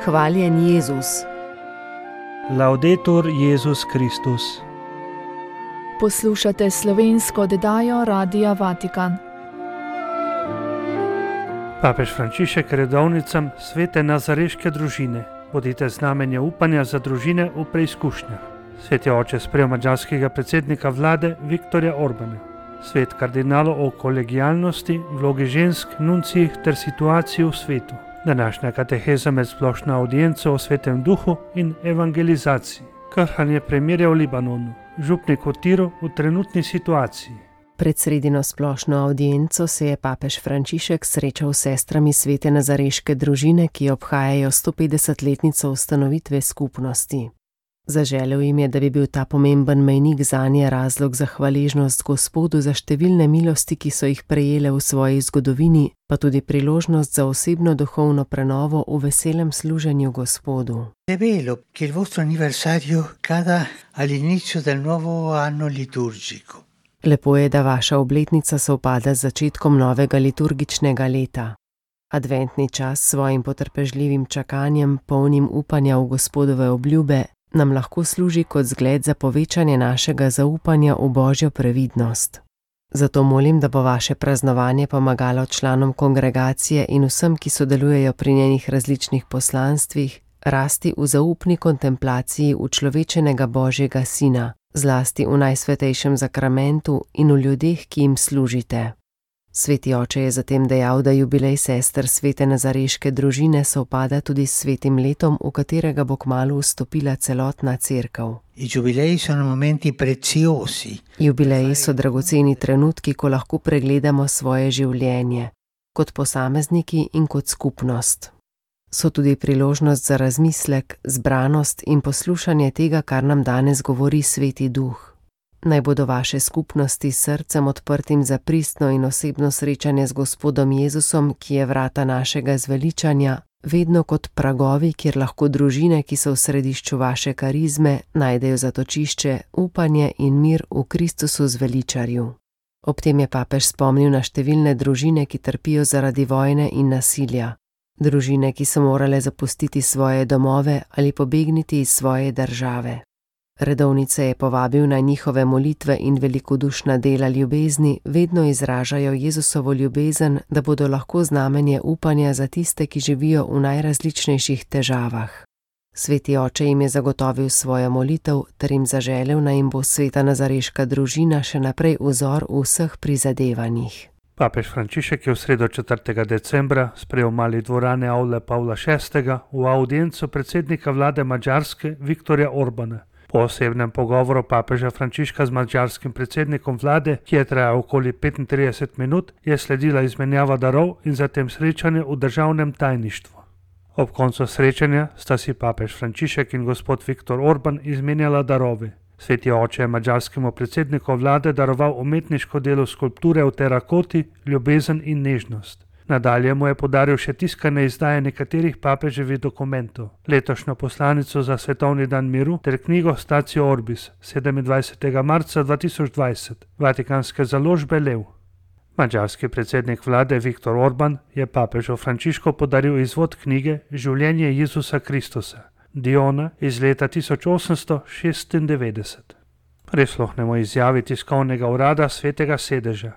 Hvaljen Jezus. Laudetur Jezus Kristus. Poslušate slovensko oddajo Radia Vatikan. Papež Frančišek redovnicam svete nazareške družine. Bodite znamenje upanja za družine v preizkušnjah. Sveti oče sprejel madžarskega predsednika vlade Viktorja Orbana. Svet kardinalov o kolegijalnosti, vlogi žensk, nuncijih ter situaciji v svetu. Današnja kateheza med splošno audienco o svetem duhu in evangelizaciji. Krhanje premirja v Libanonu. Župnik v Tiru v trenutni situaciji. Pred sredino splošno audienco se je papež Frančišek srečal s sestrami svete nazareške družine, ki obhajajo 150-letnico ustanovitve skupnosti. Zaželel jim je, da bi bil ta pomemben mejnik zanje razlog za hvaležnost Gospodu za številne milosti, ki so jih prejele v svoji zgodovini, pa tudi priložnost za osebno duhovno prenovo v veselem služenju Gospodu. È bello che il vostro anniversario cada all'inizio del nuovo anno liturgico. Lepo je, da vaša obletnica sovpada z začetkom novega liturgičnega leta. Adventni čas s svojim potrpežljivim čakanjem, polnim upanja v Gospodove obljube, nam lahko služi kot zgled za povečanje našega zaupanja v Božjo previdnost. Zato molim, da bo vaše praznovanje pomagalo članom kongregacije in vsem, ki sodelujejo pri njenih različnih poslanstvih, rasti v zaupni kontemplaciji učlovečenega Božjega Sina, zlasti v najsvetejšem zakramentu in v ljudeh, ki jim služite. Sveti oče je zatem dejal, da jubilej sester svete nazareške družine sovpada tudi s svetim letom, v katerega bo kmalu vstopila celotna cerkev. Jubileji so dragoceni trenutki, ko lahko pregledamo svoje življenje, kot posamezniki in kot skupnost. So tudi priložnost za razmislek, zbranost in poslušanje tega, kar nam danes govori Sveti Duh. Naj bodo vaše skupnosti s srcem odprtim za pristno in osebno srečanje z Gospodom Jezusom, ki je vrata našega zveličanja, vedno kot pragovi, kjer lahko družine, ki so v središču vaše karizme, najdejo zatočišče, upanje in mir v Kristusu zveličarju. Ob tem je papež spomnil na številne družine, ki trpijo zaradi vojne in nasilja. Družine, ki so morale zapustiti svoje domove ali pobegniti iz svoje države. Redovnice je povabil na njihove molitve in velikodušna dela ljubezni vedno izražajo Jezusovo ljubezen, da bodo lahko znamenje upanja za tiste, ki živijo v najrazličnejših težavah. Sveti oče jim je zagotovil svojo molitev ter jim zaželel, naj jim bo sveta nazareška družina še naprej vzor v vseh prizadevanjih. Papež Frančišek je v sredo 4. decembra sprejel v mali dvorani avle Pavla VI. V audienco predsednika vlade Madžarske Viktorja Orbana. Po osebnem pogovoru papeža Frančiška z madžarskim predsednikom vlade, ki je trajal okoli 35 minut, je sledila izmenjava darov in zatem srečanje v državnem tajništvu. Ob koncu srečanja sta si papež Frančišek in gospod Viktor Orban izmenjala darove. Sveti oče je madžarskemu predsedniku vlade daroval umetniško delo skulpture v terakoti, ljubezen in nežnost. Nadalje mu je podaril še tiskane izdaje nekaterih papeževih dokumentov, letošnjo poslanico za svetovni dan miru ter knjigo Statio Orbis 27. marca 2020, vatikanske založbe Lev. Madžarski predsednik vlade Viktor Orban je papežu Frančišku podaril izvod knjige Življenje Jezusa Kristusa, Diona iz leta 1896. Prisluhnemo izjavi tiskovnega urada Svetega sedeža.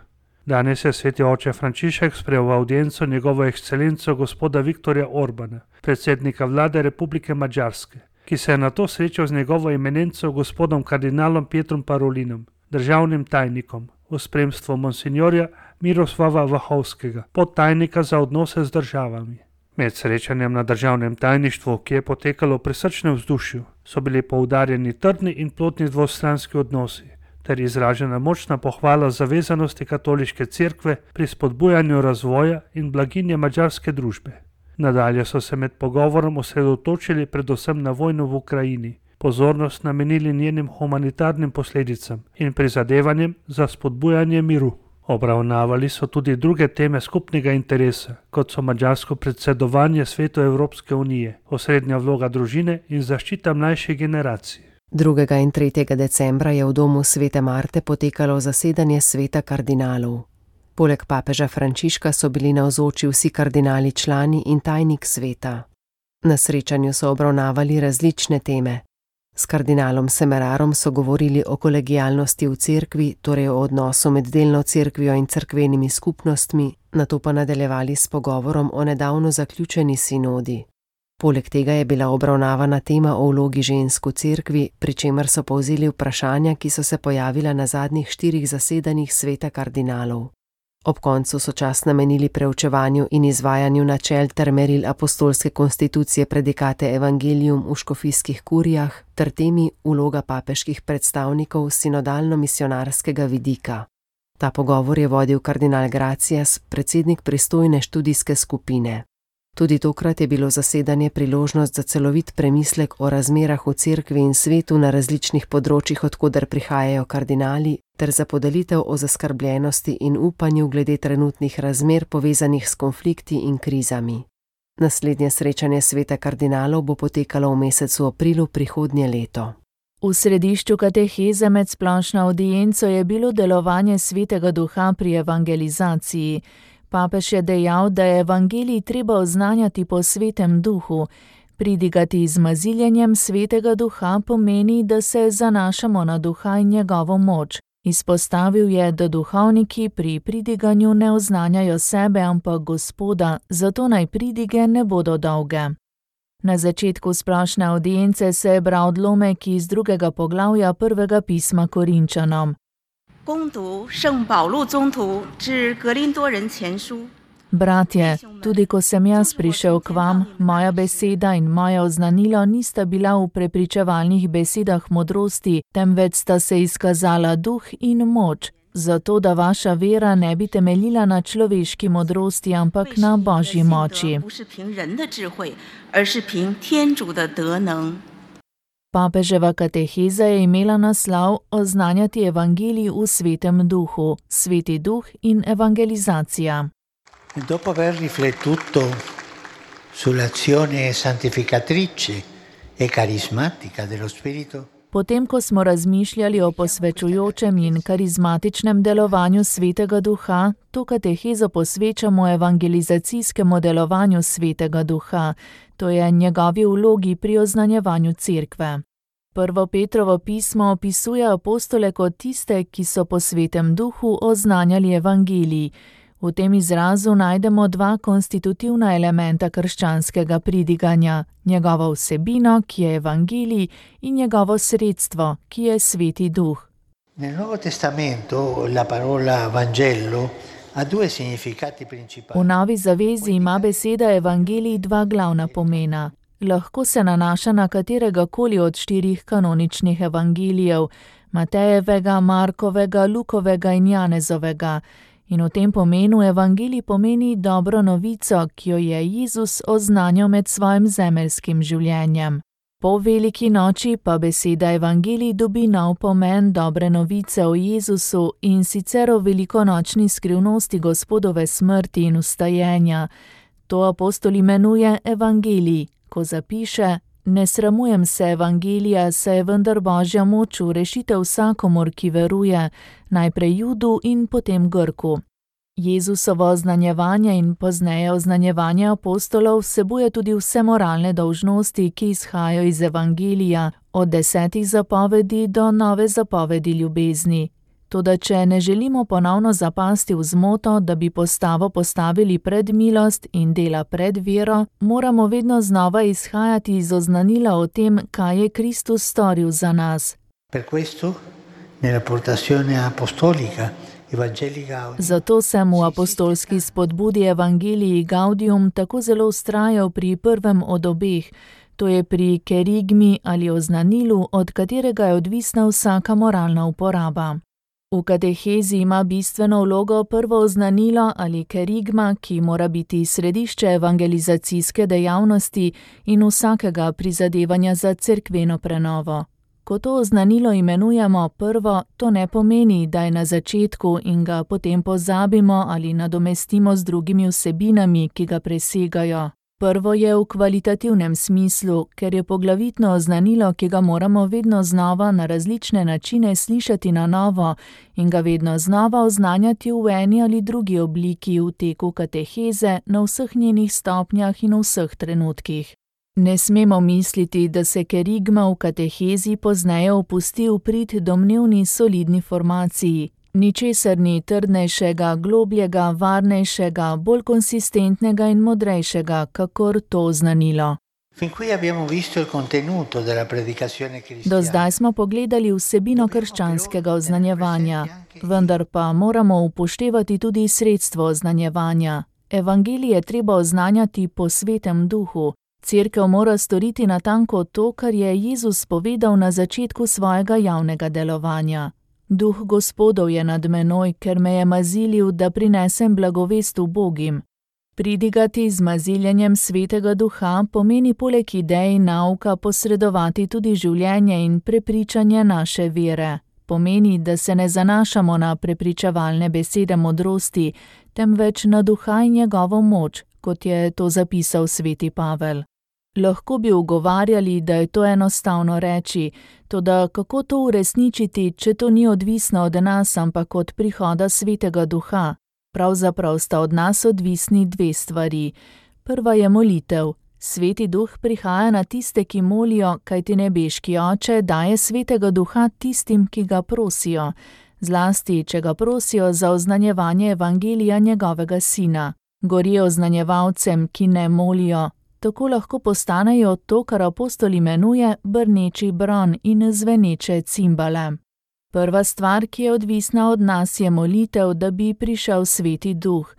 Danes je sveti oče Frančišek sprejel v audienco njegovo ekscelenco gospoda Viktorja Orbana, predsednika vlade Republike Madžarske, ki se je nato srečal z njegovo eminenco gospodom kardinalom Pietrom Parolinom, državnim tajnikom, v spremstvu monsinjorja Miroslava Vahovskega, podtajnika za odnose z državami. Med srečanjem na državnem tajništvu, ki je potekalo v prisrčnem vzdušju, so bili poudarjeni trdni in plodni dvostranski odnosi, ter izražena močna pohvala zavezanosti katoliške cerkve pri spodbujanju razvoja in blaginje madžarske družbe. Nadalje so se med pogovorom osredotočili predvsem na vojno v Ukrajini, pozornost namenili njenim humanitarnim posledicam in prizadevanjem za spodbujanje miru. Obravnavali so tudi druge teme skupnega interesa, kot so madžarsko predsedovanje Svetu Evropske unije, osrednja vloga družine in zaščita mlajših generacij. 2. in 3. decembra je v domu svete Marte potekalo zasedanje sveta kardinalov. Poleg papeža Frančiška so bili navzoči vsi kardinali člani in tajnik sveta. Na srečanju so obravnavali različne teme. S kardinalom Semerarom so govorili o kolegialnosti v cerkvi, torej o odnosu med delno cerkvijo in cerkvenimi skupnostmi, nato pa nadaljevali s pogovorom o nedavno zaključeni sinodi. Poleg tega je bila obravnavana tema o vlogi žensk v cerkvi, pri čemer so povzeli vprašanja, ki so se pojavila na zadnjih 4 zasedanjih sveta kardinalov. Ob koncu so čas namenili preučevanju in izvajanju načel ter meril apostolske konstitucije predikate Evangelium v škofijskih kurijah ter temi vloga papeških predstavnikov sinodalno-misionarskega vidika. Ta pogovor je vodil kardinal Gracias, predsednik pristojne študijske skupine. Tudi tokrat je bilo zasedanje priložnost za celovit premislek o razmerah v cerkvi in svetu na različnih področjih, od koder prihajajo kardinali, ter za podelitev o zaskrbljenosti in upanju glede trenutnih razmer povezanih s konflikti in krizami. Naslednje srečanje sveta kardinalov bo potekalo v mesecu aprilu prihodnje leto. V središču kateheze med splošno avdienco je bilo delovanje Svetega Duha pri evangelizaciji. Papež je dejal, da je evangelij treba oznanjati po Svetem Duhu. Pridigati z maziljenjem Svetega Duha pomeni, da se zanašamo na Duha in njegovo moč. Izpostavil je, da duhovniki pri pridiganju ne oznanjajo sebe, ampak Gospoda, zato naj pridige ne bodo dolge. Na začetku splošne avdience se je bral odlomek iz 2. poglavja 1. pisma Korinčanom. Bratje, tudi ko sem jaz prišel k vam, moja beseda in moja oznanilo nista bila v prepričevalnih besedah modrosti, temveč sta se izkazala duh in moč, zato da vaša vera ne bi temeljila na človeški modrosti, ampak na Božji moči. Papeževa kateheza je imela naslov Oznanjati evangelij v Svetem Duhu, Sveti Duh in evangelizacija. Dopo aver riflettuto sull'azione santificatrice e carismatica dello Spirito, Potem, ko smo razmišljali o posvečujočem in karizmatičnem delovanju Svetega Duha, to katehezo posvečamo evangelizacijskemu delovanju Svetega Duha, to je njegovi vlogi pri oznanjevanju cerkve. 1. Petrovo pismo opisuje apostole kot tiste, ki so po Svetem Duhu oznanjali evangelij. V tem izrazu najdemo 2 konstitutivna elementa krščanskega pridiganja, njegovo vsebino, ki je evangelij, in njegovo sredstvo, ki je Sveti Duh. Nel Nuovo Testamento la parola Vangelo ha 2 significati principali. V Novi zavezi ima beseda evangelij 2 glavna pomena. Lahko se nanaša na katerega koli od 4 kanoničnih evangelijev, Matejevega, Markovega, Lukovega in Janezovega. In v tem pomenu evangelij pomeni dobro novico, ki jo je Jezus oznanjal med svojim zemeljskim življenjem. Po veliki noči pa beseda evangelij dobi nov pomen dobre novice o Jezusu in sicer o velikonočni skrivnosti Gospodove smrti in vstajenja. To apostol imenuje evangelij, ko zapiše: Ne sramujem se evangelija, saj je vendar Božja moč v rešitev vsakomur, ki veruje, najprej Judu in potem Grku. Jezusovo oznanjevanje in pozneje oznanjevanje apostolov vsebuje tudi vse moralne dolžnosti, ki izhajajo iz evangelija, od 10 zapovedi do nove zapovedi ljubezni. Toda če ne želimo ponovno zapasti v zmoto, da bi postavo postavili pred milost in dela pred vero, moramo vedno znova izhajati iz oznanila o tem, kaj je Kristus storil za nas. Per questo, nella portazione apostolica evangelica, Zato sem v apostolski spodbudi Evangelii Gaudium tako zelo vztrajal pri prvem od obeh, to je pri kerigmi ali oznanilu, od katerega je odvisna vsaka moralna uporaba. V katehezi ima bistveno vlogo prvo oznanilo ali kerigma, ki mora biti središče evangelizacijske dejavnosti in vsakega prizadevanja za cerkveno prenovo. Ko to oznanilo imenujemo prvo, to ne pomeni, da je na začetku in ga potem pozabimo ali nadomestimo z drugimi vsebinami, ki ga presegajo. Prvo je v kvalitativnem smislu, ker je poglavitno oznanilo, ki ga moramo vedno znova na različne načine slišati na novo in ga vedno znova oznanjati v eni ali drugi obliki v teku kateheze na vseh njenih stopnjah in v vseh trenutkih. Ne smemo misliti, da se kerigma v katehezi pozneje opusti v prid domnevni solidni formaciji. Ničesar ni trdnejšega, globljega, varnejšega, bolj konsistentnega in modrejšega, kakor to oznanilo. Do zdaj smo pogledali vsebino krščanskega oznanjevanja, vendar pa moramo upoštevati tudi sredstvo oznanjevanja. Evangelij je treba oznanjati po Svetem Duhu. Cerkev mora storiti natanko to, kar je Jezus povedal na začetku svojega javnega delovanja. Duh Gospodov je nad menoj, ker me je mazilil, da prinesem blagovest ubogim. Pridigati z maziljenjem Svetega Duha pomeni poleg idej nauka posredovati tudi življenje in prepričanje naše vere. Pomeni, da se ne zanašamo na prepričevalne besede modrosti, temveč na Duha in njegovo moč, kot je to zapisal sveti Pavel. Lahko bi ugovarjali, da je to enostavno reči, toda kako to uresničiti, če to ni odvisno od nas, ampak od prihoda Svetega Duha? Pravzaprav sta od nas odvisni dve stvari. Prva je molitev. Sveti Duh prihaja na tiste, ki molijo, kajti nebeški Oče daje Svetega Duha tistim, ki ga prosijo, zlasti, če ga prosijo za oznanjevanje evangelija njegovega Sina. Gorijo oznanjevalcem, ki ne molijo. Tako lahko postanejo to, kar apostol imenuje brneči bron in zveneče cimbale. Prva stvar, ki je odvisna od nas, je molitev, da bi prišel Sveti Duh.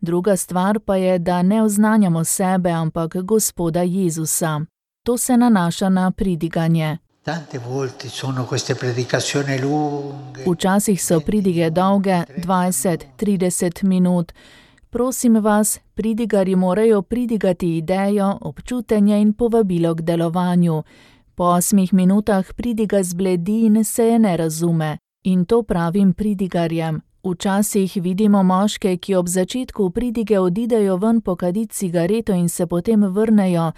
Druga stvar pa je, da ne oznanjamo sebe, ampak Gospoda Jezusa. To se nanaša na pridiganje. Včasih so pridige dolge, 20-30 minut. Prosim vas, pridigarji morajo pridigati idejo, občutenje in povabilo k delovanju. Po 8 minutah pridiga zbledi in se je ne razume. In to pravim pridigarjem. Včasih vidimo moške, ki ob začetku pridige odidejo ven pokaditi cigareto in se potem vrnejo.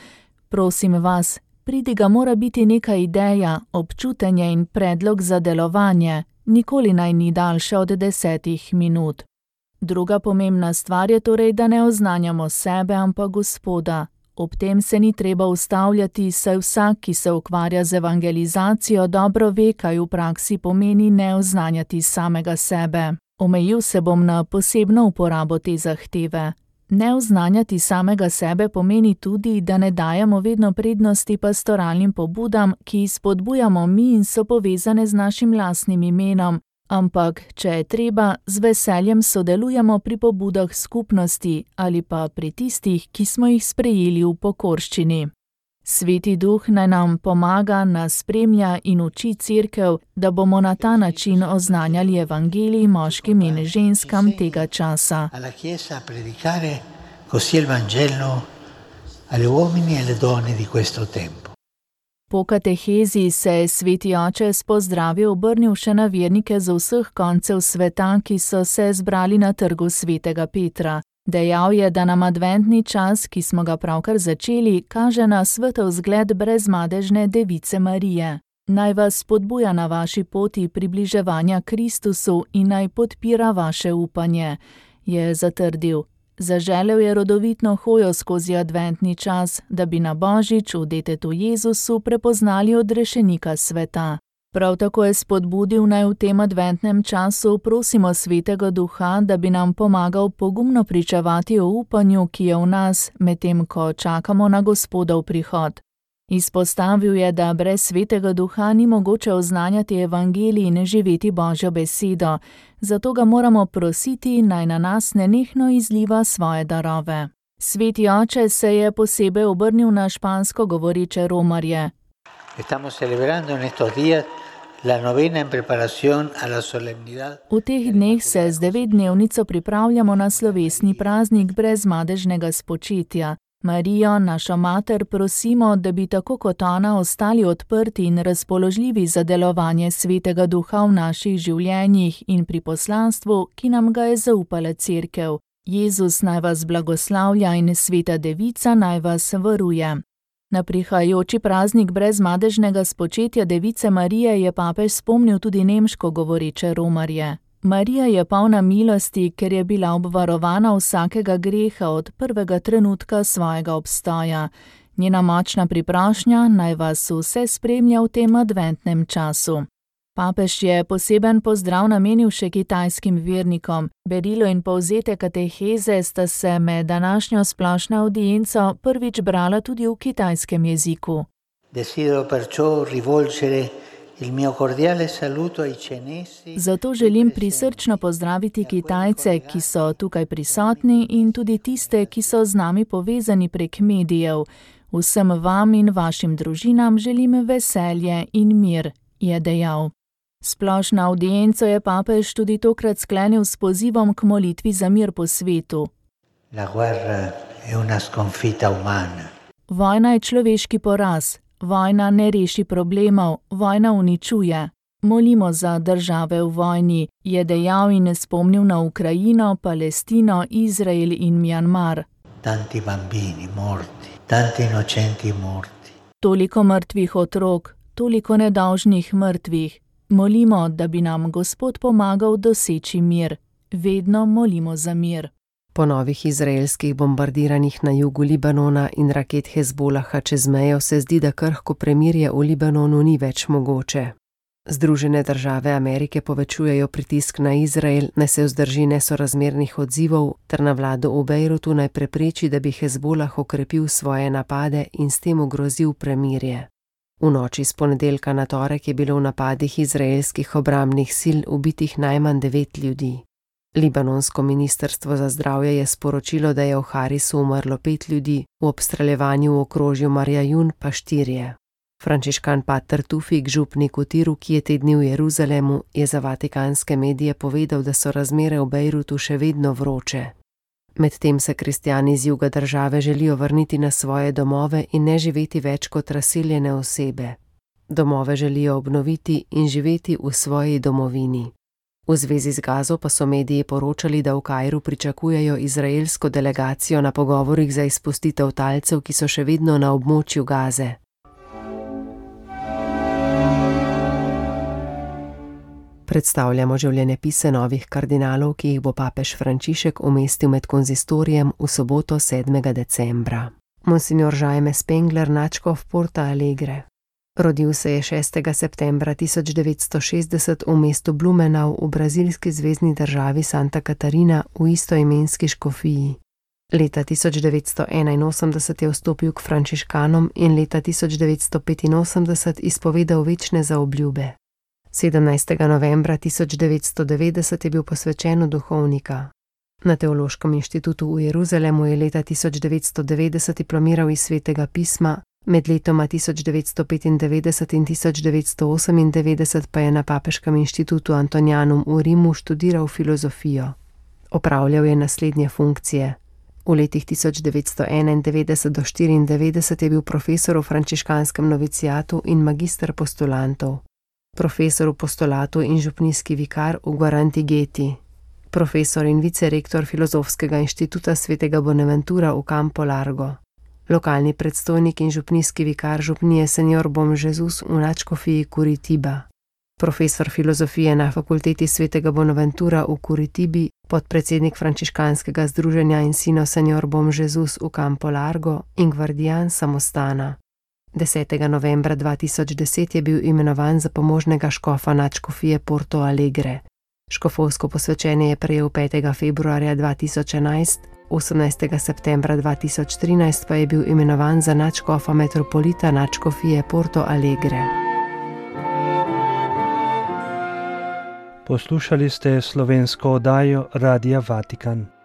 Prosim vas, pridiga mora biti neka ideja, občutenje in predlog za delovanje. Nikoli naj ni daljša od 10 minut. Druga pomembna stvar je torej, da ne oznanjamo sebe, ampak Gospoda. Ob tem se ni treba ustavljati, saj vsak, ki se ukvarja z evangelizacijo, dobro ve, kaj v praksi pomeni ne oznanjati samega sebe. Omejil se bom na posebno uporabo te zahteve. Ne oznanjati samega sebe pomeni tudi, da ne dajemo vedno prednosti pastoralnim pobudam, ki spodbujamo mi in so povezane z našim lastnim imenom, ampak, če je treba, z veseljem sodelujemo pri pobudah skupnosti ali pa pri tistih, ki smo jih sprejeli v pokorščini. Sveti Duh naj nam pomaga, nas spremlja in uči cerkev, da bomo na ta način oznanjali evangelij moškim in ženskam tega časa. Po katehezi se je sveti oče s pozdravi obrnil še na vernike z vseh koncev sveta, ki so se zbrali na trgu svetega Petra. Dejal je, da nam adventni čas, ki smo ga pravkar začeli, kaže na svetov zgled brezmadežne Device Marije. Naj vas spodbuja na vaši poti približevanja Kristusu in naj podpira vaše upanje, je zatrdil. Zaželel je rodovitno hojo skozi adventni čas, da bi na Božič v detetu Jezusu prepoznali odrešenika sveta. Prav tako je spodbudil, naj v tem adventnem času prosimo Svetega Duha, da bi nam pomagal pogumno pričevati o upanju, ki je v nas, medtem ko čakamo na Gospodov prihod. Izpostavil je, da brez Svetega Duha ni mogoče oznanjati evangelij in živeti Božjo besedo, zato ga moramo prositi, naj na nas nenehno izliva svoje darove. Sveti oče se je posebej obrnil na špansko govoreče romarje. V teh dneh se z 9-dnevnico pripravljamo na slovesni praznik brezmadežnega spočetja. Marijo, našo mater, prosimo, da bi tako kot ona ostali odprti in razpoložljivi za delovanje Svetega Duha v naših življenjih in pri poslanstvu, ki nam ga je zaupala cerkev. Jezus naj vas blagoslavlja in Sveta Devica naj vas varuje. Na prihajajoči praznik brezmadežnega spočetja Device Marije je papež spomnil tudi nemško govoreče romarje. Marija je polna milosti, ker je bila obvarovana vsakega greha od prvega trenutka svojega obstoja. Njena močna priprošnja naj vas vse spremlja v tem adventnem času. Papež je poseben pozdrav namenil še kitajskim vernikom. Berilo in povzetek kateheze sta se med današnjo splošno avdienco prvič brala tudi v kitajskem jeziku. Desidero perciò rivolgere il mio cordiale saluto ai cinesi. Zato želim prisrčno pozdraviti Kitajce, ki so tukaj prisotni, in tudi tiste, ki so z nami povezani prek medijev. Vsem vam in vašim družinam želim veselje in mir, je dejal. Splošno avdienco je papež tudi tokrat sklenil s pozivom k molitvi za mir po svetu. La guerra è una sconfitta umana. Vojna je človeški poraz. Vojna ne reši problemov, vojna uničuje. Molimo za države v vojni, je dejal in spomnil na Ukrajino, Palestino, Izrael in Mjanmar. Tanti bambini morti, tanti innocenti morti. Toliko mrtvih otrok, toliko nedolžnih mrtvih. Molimo, da bi nam Gospod pomagal doseči mir. Vedno molimo za mir. Po novih izraelskih bombardiranjih na jugu Libanona in raket Hezbolaha čez mejo se zdi, da krhko premirje v Libanonu ni več mogoče. Združene države Amerike povečujejo pritisk na Izrael, naj se vzdrži nesorazmernih odzivov, ter na vlado v Bejrutu naj prepreči, da bi Hezbolah okrepil svoje napade in s tem ogrozil premirje. V noči s ponedeljka na torek je bilo v napadih izraelskih obrambnih sil ubitih najmanj 9 ljudi. Libanonsko ministrstvo za zdravje je sporočilo, da je v Harisu umrlo 5 ljudi, v obstreljevanju v okrožju Marjajun pa 4. Frančiškan pater Tufik, župnik v Tiru, ki je te dni v Jeruzalemu, je za vatikanske medije povedal, da so razmere v Bejrutu še vedno vroče. Medtem se kristjani z juga države želijo vrniti na svoje domove in ne živeti več kot razseljene osebe. Domove želijo obnoviti in živeti v svoji domovini. V zvezi z Gazo pa so mediji poročali, da v Kairu pričakujejo izraelsko delegacijo na pogovorih za izpustitev talcev, ki so še vedno na območju Gaze. Predstavljamo življenjepise novih kardinalov, ki jih bo papež Frančišek umestil med konzistorijem v soboto 7. decembra. Monsignor Jaime Spengler, nadškof Porto Alegre. Rodil se je 6. septembra 1960 v mestu Blumenau v brazilski zvezni državi Santa Catarina v istoimenski škofiji. Leta 1981 je vstopil k frančiškanom in leta 1985 izpovedal večne zaobljube. 17. novembra 1990 je bil posvečen v duhovnika. Na Teološkem inštitutu v Jeruzalemu je leta 1990 diplomiral iz Svetega pisma, med letoma 1995 in 1998 pa je na Papeškem inštitutu Antonianum v Rimu študiral filozofijo. Opravljal je naslednje funkcije. V letih 1991 do 1994 je bil profesor v frančiškanskem novicijatu in magister postulantov. Profesor v postulatu in župnijski vikar v Guarantigeti. Profesor in vicerektor Filozofskega inštituta Svetega Bonaventura v Campo Largo. Lokalni predstojnik in župnijski vikar župnije Senor Bom Jesus v nadškofiji Curitiba. Profesor filozofije na fakulteti Svetega Bonaventura v Curitibi, podpredsednik frančiškanskega združenja in sino Senor Bom Jesus v Campo Largo in gvardijan samostana. 10. novembra 2010 je bil imenovan za pomožnega škofa nadškofije Porto Alegre. Škofovsko posvečenje je prejel 5. februarja 2011, 18. septembra 2013 pa je bil imenovan za nadškofa metropolita nadškofije Porto Alegre. Poslušali ste slovensko oddajo Radia Vatikan.